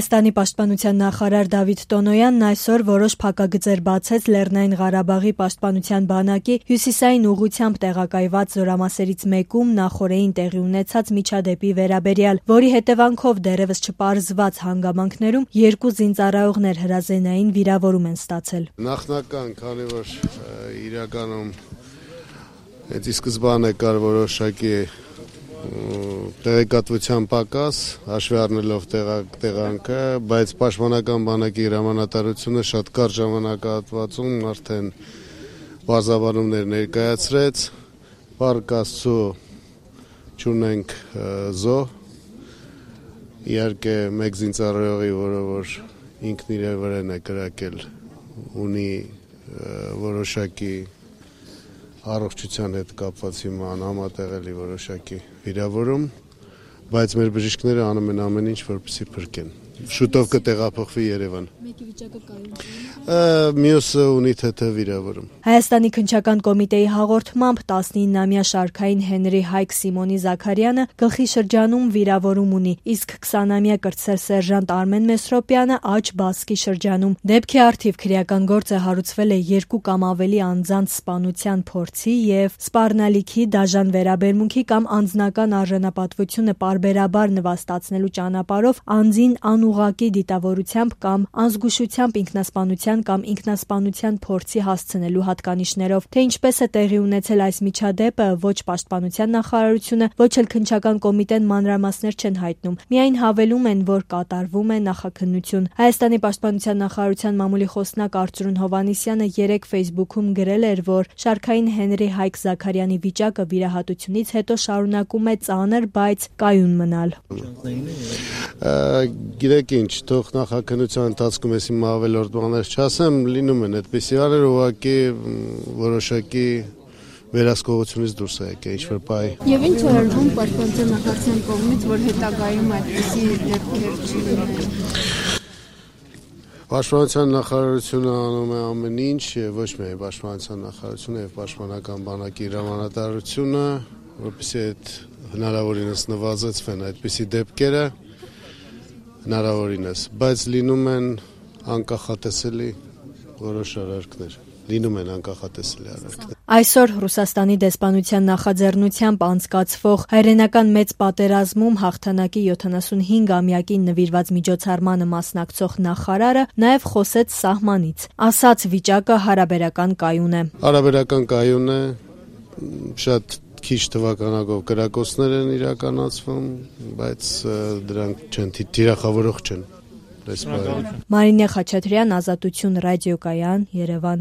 Հայաստանի պաշտպանության նախարար Դավիթ Տոնոյանն այսօր որոշ փակագծեր բացեց Լեռնային Ղարաբաղի պաշտպանության բանակի հյուսիսային ուղղությամբ տեղակայված զորամասերից մեկում նախօրեին տեղի ունեցած միջադեպի վերաբերյալ, որի հետևանքով դեռևս չպարզված հանգամանքներում 2 զինծառայողներ հրազենային վիրավորում են ստացել։ Նախնական, քանի որ իրականում ի սկզբանե կար որոշակի տեղեկատվության պակաս, հաշվի առնելով տեղանքը, բայց պաշտպանական բանակի հրամանատարությունը շատ կարճ ժամանակահատվածում արդեն բարձաբանումներ ներկայացրեց, Փառք Աստծո չունենք զոհ, իհարկե մեկ զինծառայողի, որը որ ինքն իր վրան է կրակել, ունի որոշակի առողջության հետ կապված հիմա անհամատեղելի որոշակի վիրավորում, բայց մեր բժիշկները անում են ամեն ինչ, որպեսզի փրկեն։ Շուտով կտեղափոխվի Երևան։ Մեկի վիճակը կայուն։ Մյուսը ունի ԹԹ վիրավորում։ Հայաստանի քննչական կոմիտեի հաղորդմամբ 19-ամյա շարքային Հենրի Հայք Սիմոնի Զաքարյանը գլխի շրջանում վիրավորում ունի, իսկ 20-ամյա կրտսեր սերժանտ Արմեն Մեսրոպյանը աջ բասկի շրջանում։ Դեպքի առթիվ քրեական գործը հարուցվել է 2 կամ ավելի անձանց սպանության փորձի եւ սպառնալիքի դաժան վերաբերմունքի կամ անձնական արժանապատվությունը պարբերաբար նվաստացնելու ճանապարհով անձին անուղղակի դիտավորությամբ կամ անզգուշությամբ ինքնասպանության կամ ինքնասպանության փորձի հասցնելու հատկանիշներով, թե ինչպես է տեղի ունեցել այս միջադեպը, ոչ պաշտպանության նախարարությունը, ոչ էլ քննչական կոմիտեն մանրամասներ չեն հայտնում։ Միայն հավելում են, որ կատարվում է նախաքննություն։ Հայաստանի պաշտպանության նախարարության մամուլի խոսնակ Արծրուն Հովհաննիսյանը 3 Facebook-ում գրել էր, որ շարքային Հենրի Հայք Զաքարյանի վիճակը վիրահատությունից հետո շարունակում է ծանր, բայց կայուն մնալ։ Գիտեք ինչ, թող նախաքննության ընթացքում ես իմ ավելորդ բաներ չասեմ, լինում են այդպիսի բաներ, ուղղակի որոշակի վերահսկողությունից դուրս է եկել ինչ-որ բայ։ Եվ ինչ է արվում պաշտպանության նախարարության կողմից, որ հետագայում այդպիսի դեպքեր չլինեն։ Պաշտպանության նախարարությունը անում է ամեն ինչ, ոչ միայն պաշտպանության նախարարությունը եւ պաշտպանական բանակի հրամանատարությունը, որպեսզի այդ հնարավորինս նվազեցվեն այդպիսի դեպքերը, հնարավորինս, բայց լինում են անկախատեսելի որոշ արարքներ։ Այսօր Ռուսաստանի դեսպանության նախաձեռնությամբ անցկացվող հայրենական մեծ պատերազմում հաղթանակի 75-ամյակին նվիրված միջոցառմանը մասնակցող նախարարը նաև խոսեց սահմանից, ասաց վիճակը հարաբերական կայուն է։ Հարաբերական կայուն է, շատ քիչ թվականակով կրակոցներ են իրականացվում, բայց դրանք չեն թիրախավորող չեն։ Մարինե Խաչատրյան, Ազատություն ռադիոկայան, Երևան։